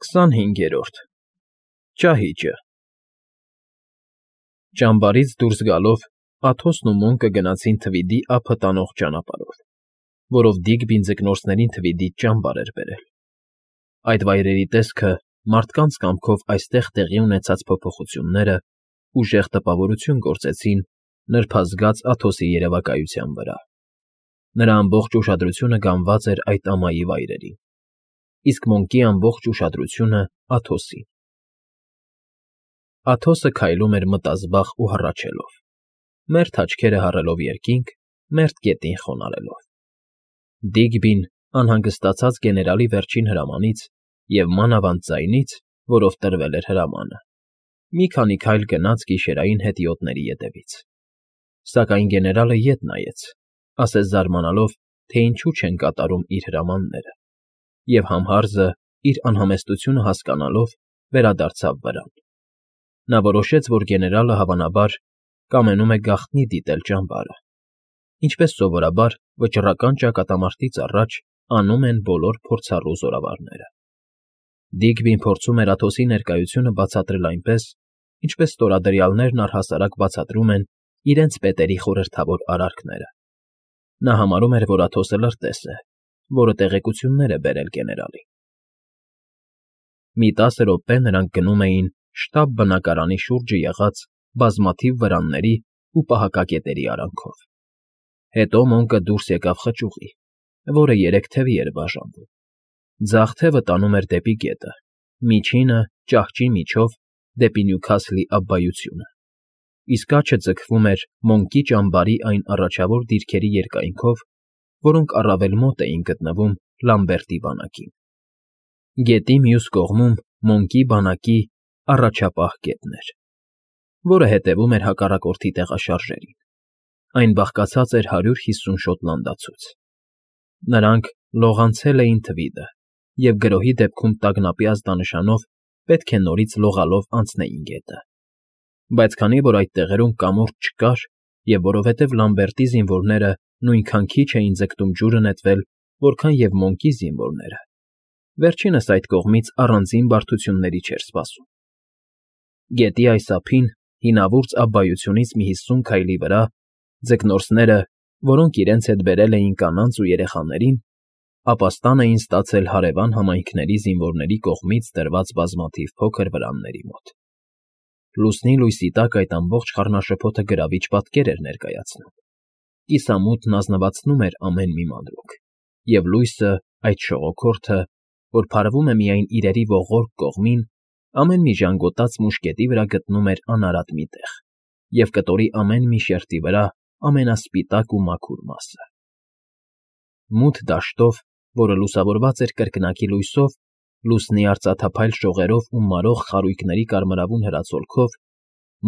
25-րդ Ճահիճը Ճամբարից դուրս գալով Աթոսն ու Մոնկը գնացին թվիդի ափը տանող ճանապարհով, որով Դիգբին ձկնորսներին թվիդից ճամբար էր բերել։ Այդ վայրերի տեսքը մարդկանց կամքով այստեղ տեղի ունեցած փոփոխությունները ուժեղ տպավորություն գործեցին նրբազգաց Աթոսի երևակայության վրա։ Նրա ամբողջ ուշադրությունը գանված էր այդ ամայի վայրերին, իսկ Մոնկի ամբողջ ուշադրությունը Աթոսին։ Աթոսը քայլում էր մտազբաղ ու հառաչելով, մերթ աչքերը հառելով երկինք, մերթ գետին խոնարհելով։ Դիգբին անհանգստացած գեներալի վերջին հրամանից և մանավանդ ձայնից, որով տրվել էր հրամանը, մի քանի քայլ գնաց գիշերային հետիոտների ետևից։ Սակայն գեներալը ետ նայեց, ասես զարմանալով, թե ինչու չեն կատարում իր հրամանները, և համհարզը, իր անհամեստությունը հասկանալով, վերադարձավ վրան։ Նա որոշեց, որ գեներալը, հավանաբար, կամենում է գաղտնի դիտել ճամբարը, ինչպես սովորաբար վճռական ճակատամարտից առաջ անում են բոլոր փորձառու զորավարները։ Դիգբին փորձում էր Աթոսի ներկայությունը բացատրել այնպես, ինչպես ստորադրյալներն առհասարակ բացատրում են իրենց պետերի խորհրդավոր արարքները։ Նա համարում էր, որ Աթոսը լրտես է, որը տեղեկություններ է բերել գեներալին։ Մի 10 րոպե նրանք գնում էին շտաբ բնակարանի շուրջը եղած բազմաթիվ վրանների ու պահակակետերի արանքով։ Հետո Մոնկը դուրս եկավ խճուղի, որը 3 թևի էր բաժանվում։ Ձախ թևը տանում էր դեպի գետը, միջինը ճահճի միջով դեպի Նյուքասլի աբբայությունը, իսկ աջը ձգվում էր Մոնկի ճամբարի այն առաջավոր դիրքերի երկայնքով, որոնք առավել մոտ էին գտնվում Լամբերտի բանակին։ Գետի մյուս կողմում Մոնկի բանակի առաջապահ կետն էր, որը հետևում էր հակառակորդի տեղաշարժերին։ Այն բաղկացած էր 150 շոտլանդացուց։ Նրանք լողանցել էին թվիդը և գրոհի դեպքում տագնապի ազդանշանով պետք է նորից լողալով անցնեին գետը։ Բայց քանի որ այդ տեղերում կամուրջ չկար, և որովհետև Լամբերտի զինվորները նույնքան քիչ էին ձգտում ջուրը նետվել, որքան և Մոնկի զինվորները, վերջինս այդ կողմից առանձին բարդությունների չէր սպասում։ Գետի այս ափին, հինավուրց աբբայությունից մի 50 քայլի վրա, ձկնորսները, որոնք իրենց հետ բերել էին կանանց ու երեխաներին, ապաստան էին ստացել հարևան համայնքների զինվորների կողմից դրված բազմաթիվ փոքր վրանների մոտ։ Լուսնի լույսի տակ այդ ամբողջ խառնաշփոթը գրավիչ պատկեր էր ներկայացնում։ Կիսամութն ազնվացնում էր ամեն մի մանրուք, և լույսը, այդ շողոքորթը, որ փարվում է միայն իրերի ողորկ կողմին, ամեն մի ժանգոտած մուշկետի վրա գտնում էր անարատ մի տեղ և կտորի ամեն մի շերտի վրա ամենասպիտակ ու մաքուր մասը։ Մութ դաշտով, որը լուսավորված էր կրկնակի լույսով, լուսնի արծաթափայլ շողերով ու մարող խարույկների կարմրավուն հրացոլքով,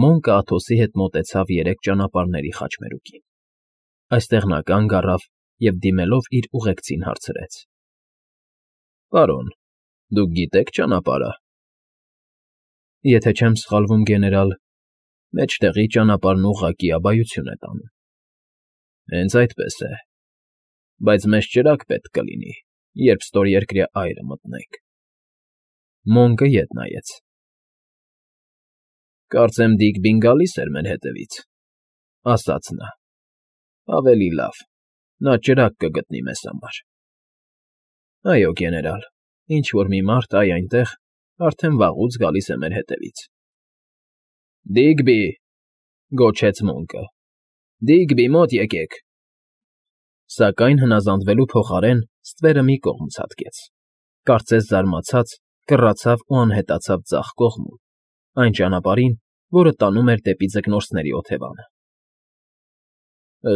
Մոնկը Աթոսի հետ մոտեցավ 3 ճանապարհների խաչմերուկին։ Այստեղ նա կանգ առավ և դիմելով իր ուղեկցին հարցրեց. Պարոն, դուք գիտե՞ք ճանապարհը։ Եթե չեմ սխալվում, գեներալ, մեջտեղի ճանապարհն ուղղակի աբայություն է տանում։ Հենց այդպես է, բայց մեզ ճրագ պետք կլինի, երբ ստորերկրյա այրը մտնենք։ Մոնկը ետ նայեց։ Կարծեմ Դիգբին գալիս էր մեր հետևից, ասաց նա։ Ավելի լավ, նա ճրագ կգտնի մեզ համար։ Այո, գեներալ, ինչ֊որ մի մարդ այնտեղ արդեն վաղուց գալիս է մեր հետևից։ Դիգբի, գոչեց Մոնկը, Դիգբի, մոտ եկեք։ Սակայն հնազանդվելու փոխարեն ստվերը մի կողմ ցատկեց, կարծես զարմացած, կռացավ ու անհետացավ ձախ կողմում, այն ճանապարհին, որը տանում էր դեպի ձկնորսների օթևանը։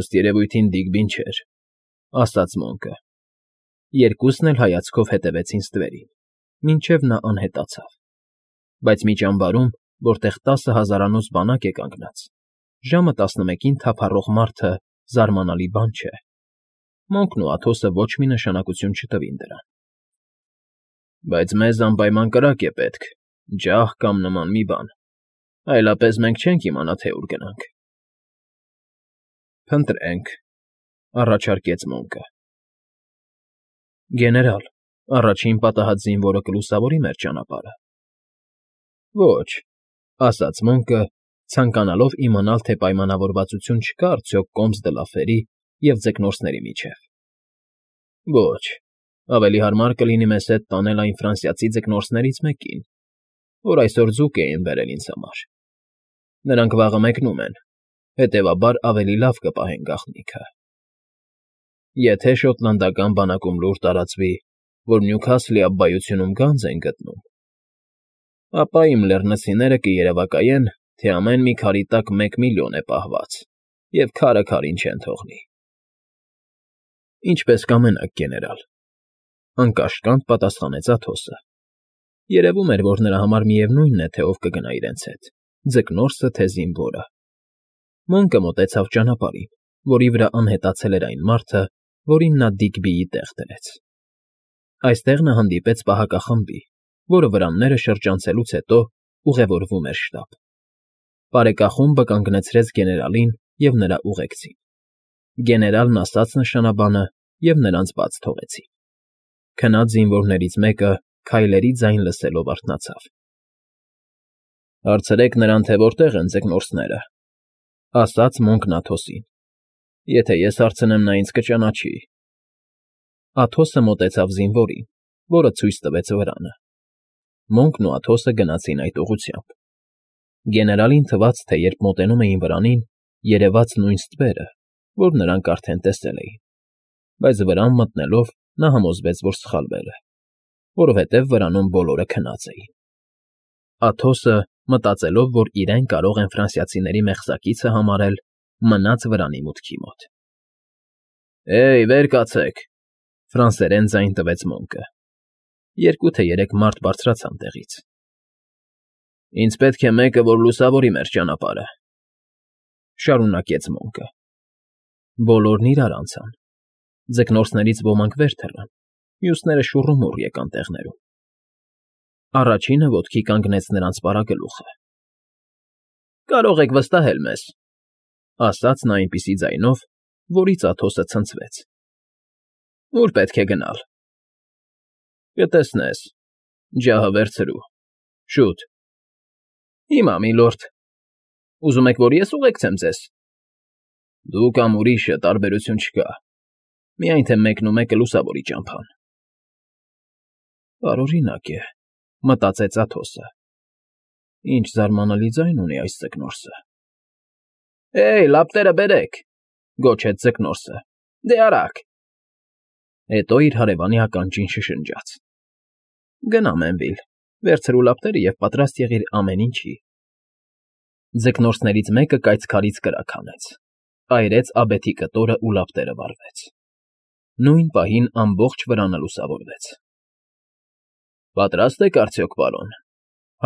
Ըստ երևույթին Դիգբին չէր, ասաց Մոնկը։ Երկուսն էլ հայացքով հետևեցին ստվերին, մինչև նա անհետացավ։ Բայց մի ճամբարում, որտեղ 10 հազարանոց բանակ է կանգնած, ժամը 11-ին թափառող մարդը զարմանալի բան չէ։ Մոնկն ու Աթոսը ոչ մի նշանակություն չտվին դրան։ Բայց մեզ անպայման կրակ է պետք, ջահ կամ նման մի բան, այլապես մենք չենք իմանա, թե ուր գնանք։ Փնտրենք, առաջարկեց Մոնկը։ Գեներալ, Առաջին պատահած զինվորը կլուսավորի մեր ճանապարհը։ Ոչ, ասաց Մոնկը, ցանկանալով իմանալ, թե պայմանավորվածություն չկա արդյոք Կոմս դը Լաֆերի և ձկնորսների միջև։ Ոչ, ավելի հարմար կլինի մեզ հետ տանել այն ֆրանսիացի ձկնորսներից մեկին, որ այսօր ձուկ էին բերել ինձ համար։ Նրանք վաղը մեկնում են, հետևաբար ավելի լավ կպահեն գաղտնիքը։ Եթե շոտլանդական բանակում լուր տարածվի, որ Նյուքասլի աբբայությունում գանձ են գտնում, ապա իմ լեռնցիները կերևակայեն, թե ամեն մի քարի տակ 1,000,000 է պահված, և քարը քարին չեն թողնի։ Ինչպես կամենաք, գեներալ, անկաշկանդ պատասխանեց Աթոսը։ Երևում էր, որ նրա համար միևնույնն է, թե ով կգնա իրենց հետ, ձկնորսը թե զինվորը։ Մոնկը մոտեցավ ճանապարհին, որի վրա անհետացել էր այն մարդը, որին նա Դիգբիի տեղ դրեց։ Այստեղ նա հանդիպեց պահակախմբի, որը վրանները շրջանցելուց հետո ուղևորվում էր շտաբ։ Բարեկախումբը կանգնեցրեց գեներալին և նրա ուղեկցին։ Գեներալն ասաց նշանաբանը, և նրանց բաց թողեցին։ Քնած զինվորներից մեկը քայլերի ձայն լսելով արթնացավ։ Հարցրեք նրան, թե որտեղ են ձկնորսները, ասաց Մոնկն Աթոսին։ Եթե ես հարցնեմ, նա ինձ կճանաչի։ Աթոսը մոտեցավ զինվորին, որը ցույց տվեց վրանը։ Մոնկն ու Աթոսը գնացին այդ ուղղությամբ։ Գեներալին թվաց, թե երբ մոտենում էին վրանին, երևաց նույն ստվերը, որ նրանք արդեն տեսել էին, բայց վրան մտնելով նա համոզվեց, որ սխալվել է, որովհետև վրանում բոլորը քնած էին։ Աթոսը, մտածելով, որ իրեն կարող են ֆրանսիացիների մեղսակիցը համարել, մնաց վրանի մուտքի մոտ։ Էյ, վեր կացեք, ֆրանսերեն ձայն տվեց Մոնկը։ 2 թե 3 մարդ բարձրացան տեղից։ Ինձ պետք է մեկը, որ լուսավորի մեր ճանապարհը, շարունակեց Մոնկը։ Բոլորն իրար անցան։ Ձկնորսներից ոմանք վեր թռան, մյուսները շուռումուռ եկան տեղներում։ Առաջինը ոտքի կանգնեց նրանց պարագլուխը։ Կարող եք վստահել մեզ, ասաց նա այնպիսի ձայնով, որից Աթոսը ցնցվեց։ Ուր պետք է գնալ։ Կտեսնես, ջահը վերցրու, շուտ։ Հիմա, միլորդ, ուզում եք, որ ես ուղեկցեմ ձեզ։ Դու կամ ուրիշը, տարբերություն չկա, միայն թե մեկն ու մեկը լուսավորի ճամփան։ Տարօրինակ է, մտածեց Աթոսը։ Ինչ զարմանալի ձայն ունի այս ձկնորսը։ Էյ, լապտերը բերեք, գոչեց ձկնորսը։ Դե արագ։ Հետո իր հարևանի ականջին շշնջաց. Գնա, Մենվիլ, վերցրու լապտերը և պատրաստ եղիր ամեն ինչի։ Ձկնորսներից մեկը կայծքարից կրակ հանեց, այրեց աբեթի կտորը ու լապտերը վառվեց։ Նույն պահին ամբողջ վրանը լուսավորվեց։ Պատրաստ եք արդյոք, պարոն,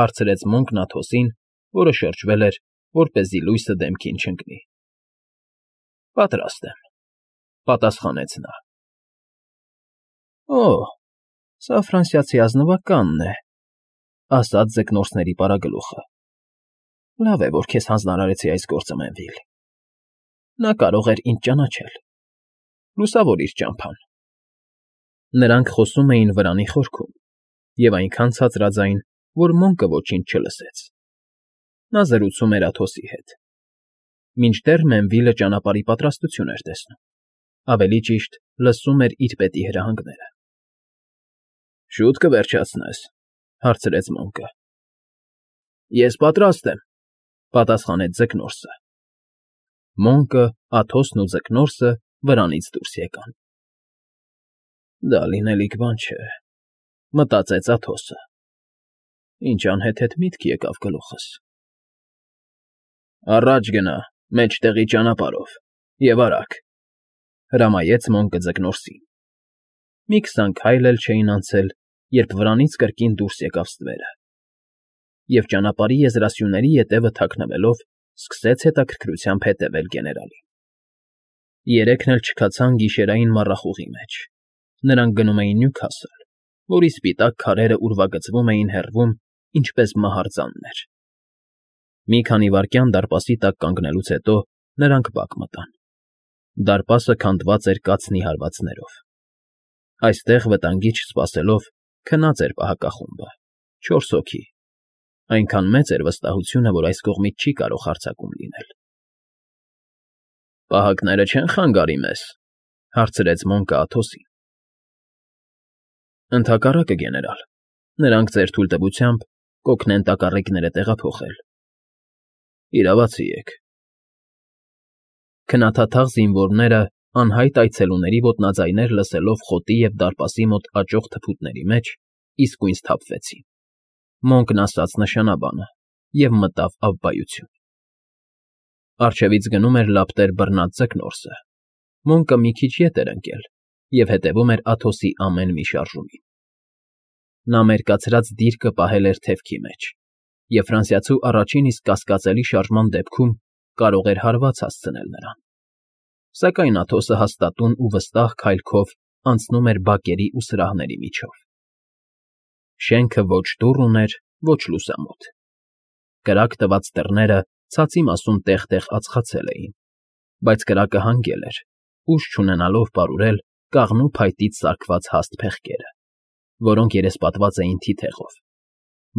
հարցրեց Մոնկն Աթոսին, որը շրջվել էր, որպեսզի լույսը դեմքին չընկնի։ Պատրաստ եմ, պատասխանեց նա։ Օ, սա ֆրանսիացի ազնվականն է, ասաց ձկնորսների պարագլուխը։ Լավ է, որ քեզ հանձնարարեցի այս գործը, Մենվիլ։ Նա կարող էր ինձ ճանաչել։ Լուսավորիր ճամփան։ Նրանք խոսում էին վրանի խորքում, և այնքան ցածրաձայն, որ Մոնկը ոչինչ չլսեց։ Նա զրուցում էր Աթոսի հետ։ Մինչդեռ Մենվիլը ճանապարհի պատրաստություն էր տեսնում, ավելի ճիշտ, լսում էր իր պետի հրահանգները։ Շուտ կվերջացնես, հարցրեց Մոնկը։ Ես պատրաստ եմ, պատասխանեց ձկնորսը։ Մոնկը, Աթոսն ու ձկնորսը վրանից դուրս եկան։ Դա լինելիք բան չէ, մտածեց Աթոսը։ Ինչ անհեթեթ միտք եկավ գլուխս։ Առաջ գնա, մեջտեղի ճանապարհով, և արագ, հրամայեց Մոնկը ձկնորսին։ Մի 20 քայլ էլ չէին անցել, երբ վրանից կրկին դուրս եկավ ստվերը, և ճանապարհի եզրասյուների ետևը թաքնվելով սկսեց հետաքրքրությամբ հետևել գեներալին։ Երեքն էլ չքացան գիշերային մառախուղի մեջ։ Նրանք գնում էին Նյուքասլ, որի սպիտակ քարերը ուրվագծվում էին հեռվում, ինչպես մահարձաններ։ Մի քանի վայրկյան դարպասի տակ կանգնելուց հետո նրանք բակ մտան։ Դարպասը քանդված էր կացնի հարվածներով։ Այստեղ վտանգի չսպասելով քնած էր պահակախումբը, 4 հոգի, այնքան մեծ էր վստահությունը, որ այս կողմից չի կարող հարձակում լինել։ ֊ Պահակները չեն խանգարի մեզ,֊ հարցրեց Մոնկը Աթոսին։ ֊ Ընդհակառակը, գեներալ, նրանք ձեր թույլտվությամբ կօգնեն տակառիկները տեղափոխել։ Իրավացի եք։ Քնաթաթաղ զինվորները անհայտ այցելուների ոտնաձայներ լսելով խոտի և դարպասի մոտ աճող թփուտների մեջ իսկույն սթափվեցին։ Մոնկն ասաց նշանաբանը և մտավ ավբայություն։ Առջևից գնում էր լապտեր բռնած Ձկնորսը։ Մոնկը մի քիչ ետ էր ընկել և հետևում էր Աթոսի ամեն մի շարժումին։ Նա մերկացրած դիրքը պահել էր թևքի մեջ, և ֆրանսիացու առաջին իսկ կասկածելի շարժման դեպքում կարող էր հարված հասցնել նրան։ Սակայն Աթոսը հաստատուն ու վստահ քայլքով անցնում էր բակերի ու սրահների միջով։ Շենքը ոչ դուռ ուներ, ոչ լուսամուտ։ Կրակ տված դռները ցածի մասում տեղ֊տեղ ածխացել էին, բայց կրակը հանգել էր, ուժ չունենալով պարուրել կաղնու փայտից սարքված հաստ փեղկերը, որոնք երեսպատված էին թիթեղով։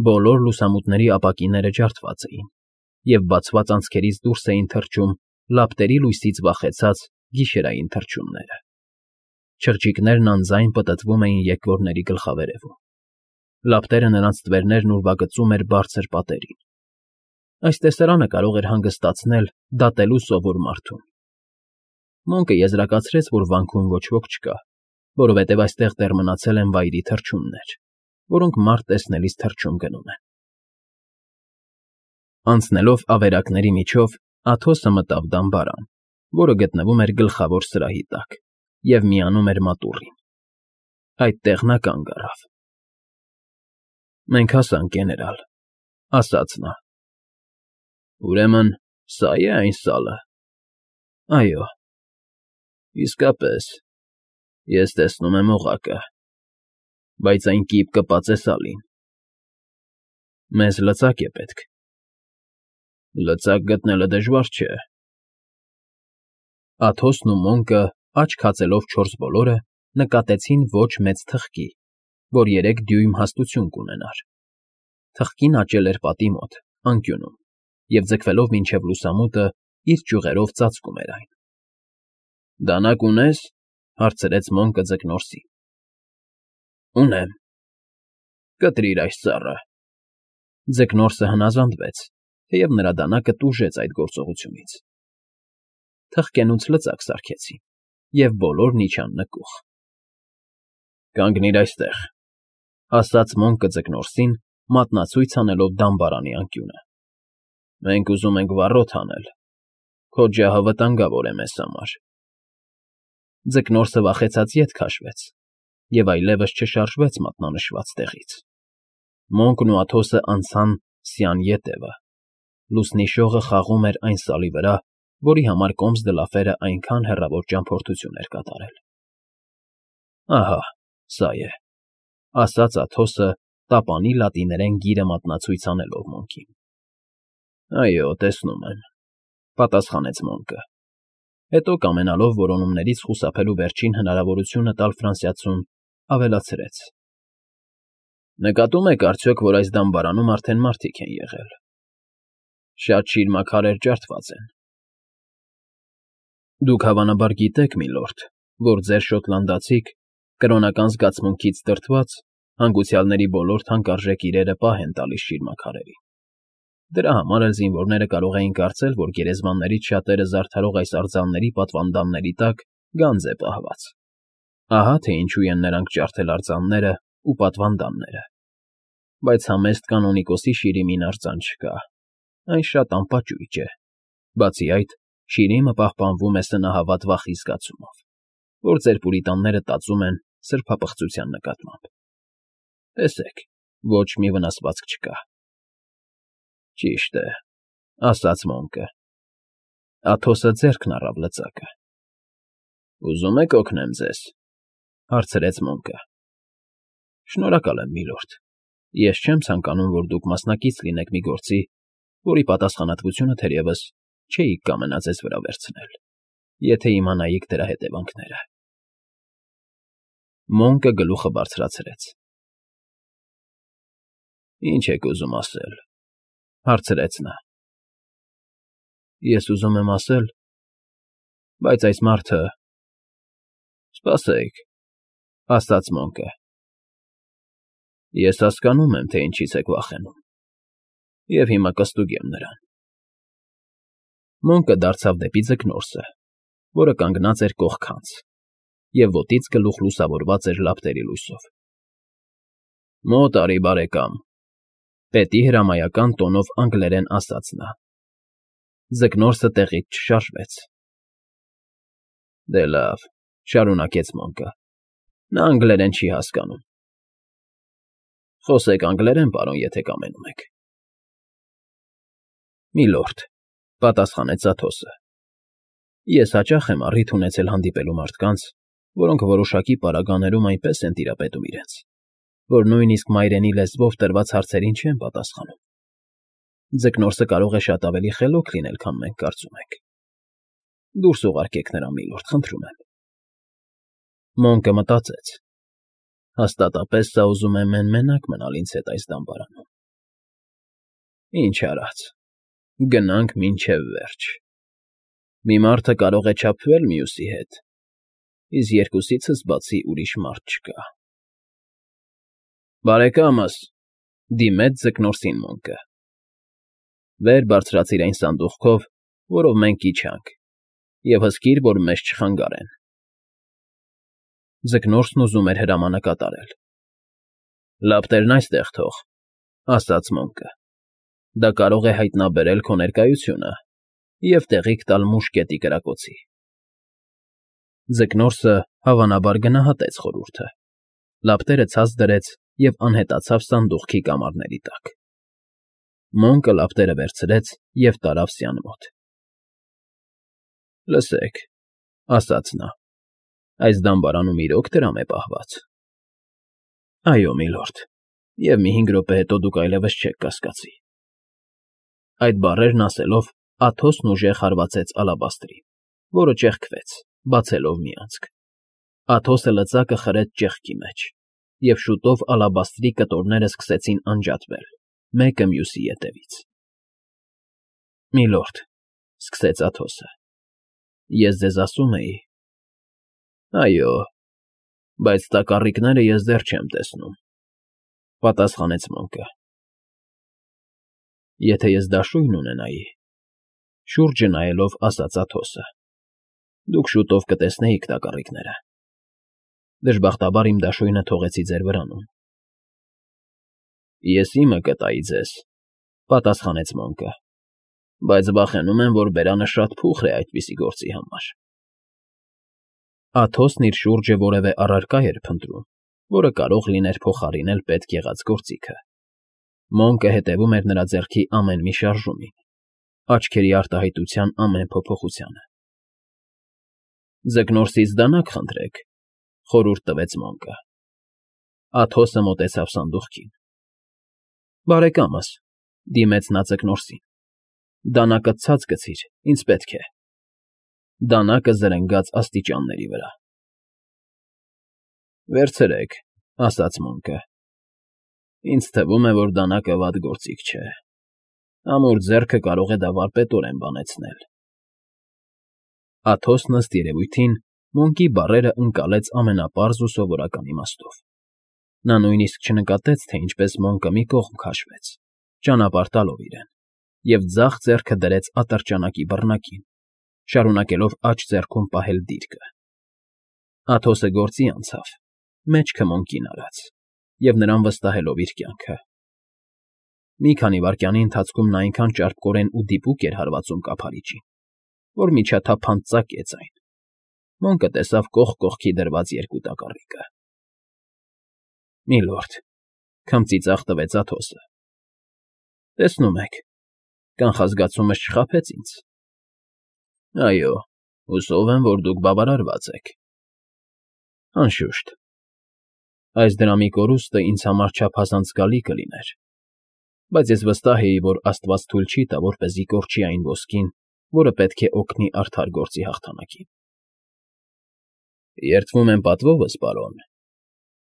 Բոլոր լուսամուտների ապակիները ջարդված էին, և բացված անցքերից դուրս էին թռչում լապտերի լույսից վախեցած գիշերային թռչունները։ Չղջիկներն անձայն պտտվում էին եկվորների գլխավերևում։ Լապտերը նրանց ստվերներն ուրվագծում էր բարձր պատերին։ Այս տեսարանը կարող էր հանգստացնել դատելու սովոր մարդուն։ Մոնկը եզրակացրեց, որ վանքում ոչ ոք չկա, որովհետև այստեղ դեռ մնացել են վայրի թռչուններ, որոնք մարդ տեսնելիս թռչուն գնում են։ Անցնելով ավերակների միջով Աթոսը մտավ դամբարան, որը գտնվում էր գլխավոր սրահի տակ, և միանում էր մատուռին։ Այդտեղ նա կանգ առավ։ ֊ Մենք հասանք, գեներալ,֊ ասաց նա։ ֊ Ուրեմն սա՞ է այն սալը։ ֊ Այո։ ֊ Իսկապես, ես տեսնում եմ օղակը, բայց այն կիպ կպած է սալին։ ֊ Մեզ լծակ է պետք։ ֊ Լծակ գտնելը դժվար չէ։ Աթոսն ու Մոնկը, աչք հացելով չորս բոլորը, նկատեցին ոչ մեծ թխկի, որ 3 դյույմ հաստություն կունենար։ Թխկին աճել էր պատի մոտ, անկյունում, և ձգվելով մինչև լուսամուտը, իր ճյուղերով ծածկում էր այն։ ֊ Դանակ ունե՞ս,֊ հարցրեց Մոնկը Ձկնորսին։ ֊ Ունեմ։ ֊ Կտրիր այս ծառը։ Ձկնորսը հնազանդվեց, թեև նրա դանակը տուժեց այդ գործողությունից։ Թխկենուց լծակ սարքեցին, և բոլորն իջան նկուղ։ ֊ Կանգնիր այստեղ,֊ ասաց Մոնկը Ձկնորսին, մատնացույց անելով դամբարանի անկյունը։ ֊ Մենք ուզում ենք վառոդ անել։ Քո ջահը վտանգավոր է մեզ համար։ Ձկնորսը վախեցած ետ քաշվեց և այլևս չշարժվեց մատնանշված տեղից։ Մոնկն ու Աթոսը անցան Սյան ետևը։ Լուսնի շողը խաղում էր այն սալի վրա, որի համար կոմս դլաֆերը այնքան հեռավոր ճամփորդություն էր կատարել։ ֊ Ահա, սա է,֊ ասաց Աթոսը, տապանի լատիներեն գիրը մատնացույց անելով Մոնկին։ ֊ Այո, տեսնում եմ,֊ պատասխանեց Մոնկը։ Հետո, կամենալով որոնումներից խուսափելու վերջին հնարավորությունը տալ ֆրանսիացուն, ավելացրեց. ֊ Նկատում եք արդյոք, որ այս դամբարանում արդեն մարդիկ են եղել։ Շատ շիրմաքարեր ջարդված են։ Դուք հավանաբար գիտեք, միլորդ, որ ձեր շոտլանդացիք, կրոնական զգացմունքից դրդված, հանգուցյալների բոլոր թանկարժեք իրերը պահ են տալիս շիրմաքարերին։ Դրա համար էլ զինվորները կարող էին կարծել, որ գերեզմաններից շատերը զարդարող այս արձանների պատվանդանների տակ գանձ է պահված։ Ահա թե ինչու են նրանք ջարդել արձանները ու պատվանդանները։ Բայց համեստ կանոնիկոսի Շիրիմին արձան չկա։ Այն շատ անպաճույճ է։ Բացի այդ, Շիրիմը պահպանվում է սնահավատ վախի զգացումով, որ ձեր պուրիտանները տածում են սրբապղծության նկատմամբ։ Տեսեք, ոչ մի վնասվածք չկա։ ֊ Ճիշտ է,֊ ասաց Մոնկը։ Աթոսը ձեռքն առավ լծակը։ ֊ Ուզում եք օգնեմ ձեզ,֊ հարցրեց Մոնկը։ ֊ Շնորհակալ եմ, միլորդ։ Ես չեմ ցանկանում, որ դուք մասնակից լինեք մի գործի, որի պատասխանատվությունը, թերևս, չէիք կամենա ձեզ վրա վերցնել, եթե իմանայիք դրա հետևանքները։ Մոնկը գլուխը բարձրացրեց։ Ինչ եք ուզում ասել, հարցրեց նա։ Ես ուզում եմ ասել, բայց այս մարդը… Սպասեք, ասաց Մոնկը։ Ես հասկանում եմ, թե ինչից եք վախենում, և հիմա կստուգեմ նրան։ Մոնկը դարձավ դեպի Ձկնորսը, որը կանգնած էր կողքանց, և ոտից գլուխ լուսավորված էր լապտերի լույսով։ Մոտ արի, բարեկամ, պետի հրամայական տոնով անգլերեն ասաց նա։ Ձկնորսը տեղից չշարժվեց։ Դե լավ, շարունակեց Մոնկը, նա անգլերեն չի հասկանում։ Խոսեք անգլերեն, պարոն, եթե կամենում եք։ Միլորդ, պատասխանեց Աթոսը, ես հաճախ եմ առիթ ունեցել հանդիպելու մարդկանց, որոնք որոշակի պարագաներում այնպես են տիրապետում իրենց, որ նույնիսկ մայրենի լեզվով տրված հարցերին չեն պատասխանում։ Ձկնորսը կարող է շատ ավելի խելոք լինել, քան մենք կարծում ենք։ Դուրս ուղարկեք նրան, միլորդ, խնդրում եմ։ Մոնկը մտածեց. հաստատապես սա ուզում է մենակ մնալ ինձ հետ այս դամբարանում։ Ինչ արած, գնանք մինչև վերջ։ Մի մարդը կարող է չափվել մյուսի հետ, իսկ երկուսիցս բացի ուրիշ մարդ չկա։ Բարեկամս, դիմեց Ձկնորսին Մոնկը, վեր բարձրացիր այն սանդուղքով, որով մենք իջանք, և հսկիր, որ մեզ չխանգարեն։ Ձկնորսն ուզում էր հրամանը կատարել։ Լապտերն այստեղ թող, ասաց Մոնկը։ Դա կարող է հայտնաբերել քո ներկայությունը և տեղիք տալ մուշկետի կրակոցի։ Ձկնորսը հավանաբար գնահատեց խորհուրդը, լապտերը ցած դրեց և անհետացավ սանդուղքի կամարների տակ։ Մոնկը լապտերը վերցրեց և տարավ սյան մոտ։ Լսեք, ասաց նա, այս դամբարանում իրոք դրամ է պահված։ Այո, միլորդ, և մի 5 րոպե հետո դուք այլևս չեք կասկածի։ Այդ բառերն ասելով Աթոսն ուժեղ հարվածեց ալաբաստրին, որը ճեղքվեց, բացելով մի անցք։ Աթոսը լծակը խրեց ճեղքի մեջ, և շուտով ալաբաստրի կտորները սկսեցին անջատվել, մեկը մյուսի ետևից։ Միլորդ, սկսեց Աթոսը, ես ձեզ ասում էի… Այո, բայց տակառիկները ես դեռ չեմ տեսնում, պատասխանեց Մոնկը։ Եթե ես դաշույն ունենայի, շուրջը նայելով ասաց Աթոսը, դուք շուտով կտեսնեիք տակառիկները։ Դժբախտաբար իմ դաշույնը թողեցի ձեր վրանում։ Ես իմը կտայի ձեզ, պատասխանեց Մոնկը, բայց վախենում եմ, որ բերանը շատ փուխր է այդպիսի գործի համար։ Աթոսն իր շուրջը որևէ առարկա էր փնտրում, որը կարող լիներ փոխարինել պետք եղած գործիքը։ Մոնկը հետևում էր նրա ձեռքի ամեն մի շարժումին, աչքերի արտահայտության ամեն փոփոխությանը։ Ձկնորսից դանակ խնդրեք, խորհուրդ տվեց Մոնկը։ Աթոսը մոտեցավ սանդուղքին։ Բարեկամս, դիմեց նա Ձկնորսին, դանակը ցած գցիր, ինձ պետք է։ Դանակը զրնգաց աստիճանների վրա։ Վերցրեք, ասաց Մոնկը։ Ինձ թվում է, որ դանակը վատ գործիք չէ։ Ամուր ձեռքը կարող է դա վարպետորեն բանեցնել։ Աթոսն ըստ երևույթին Մոնկի բառերը ընկալեց ամենապարզ ու սովորական իմաստով։ Նա նույնիսկ չնկատեց, թե ինչպես Մոնկը մի կողմ քաշվեց, ճանապարհ տալով իրեն, և ձախ ձեռքը դրեց ատրճանակի բռնակին, շարունակելով աջ ձեռքում պահել դիրքը։ Աթոսը գործի անցավ, մեջքը Մոնկին արած և նրան վստահելով իր կյանքը։ Մի քանի վայրկյանի ընթացքում նա այնքան ճարպկորեն ու դիպուկ էր հարվածում կափարիչին, որ միջաթափանց ծակեց այն։ Մոնկը տեսավ կողք կողքի դրված երկու տակառիկը։ Միլորդ, քմծիծաղ տվեց Աթոսը։ Տեսնում եք, կանխազգացումս չխաբեց ինձ։ Այո, հուսով եմ, որ դուք բավարարված եք։ Անշուշտ, այս դրամի կորուստը ինձ համար չափազանց զգալի կլիներ, բայց ես վստահ էի, որ աստված թույլ չի տա, որպեսզի կորչի այն ոսկին, որը պետք է օգնի արդար գործի հաղթանակին։ Երդվում եմ պատվովս, պարոն,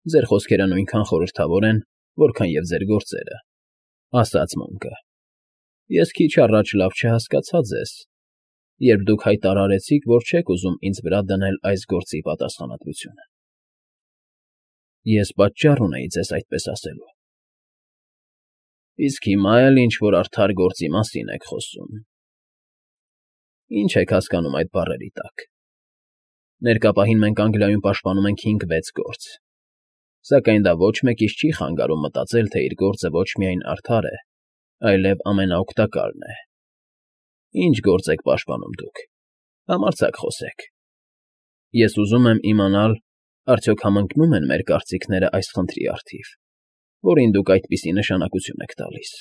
Ձեր խոսքերը նույնքան խորհրդավոր են, որքան և ձեր գործերը, ասաց Մոնկը։ Ես քիչ առաջ լավ չհասկացա ձեզ, երբ դուք հայտարարեցիք, որ չեք ուզում ինձ վրա դնել այս գործի պատասխանատվությունը։ Ես պատճառ ունեի ձեզ այդպես ասելու։ Իսկ հիմա էլ ինչ֊որ արդար գործի մասին եք խոսում։ Ինչ եք հասկանում այդ բառերի տակ։ Ներկա պահին մենք Անգլիայում պաշտպանում ենք 5-6 գործ, սակայն դա ոչ մեկից չի խանգարում մտածել, թե իր գործը ոչ միայն արդար է, այլև ամենաօգտակարն է։ Ինչ գործ եք պաշտպանում դուք։ Համարձակ խոսեք։ Ես ուզում եմ իմանալ, արդյոք համընկնո՞ւմ են մեր կարծիքները այս խնդրի առթիվ, որին դուք այդպիսի նշանակություն եք տալիս։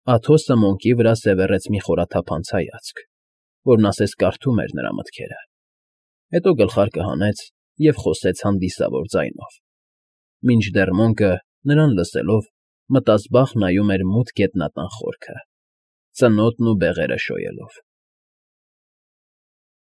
Աթոսը Մոնկի վրա սևեռեց մի խորաթափանց հայացք, որն ասես կարդում էր նրա մտքերը։ Հետո գլխարկը հանեց և խոսեց հանդիսավոր ձայնով, մինչդեռ Մոնկը, նրան լսելով, մտազբաղ նայում էր մութ գետնատան խորքը, ծնոտն ու բեղերը շոյելով։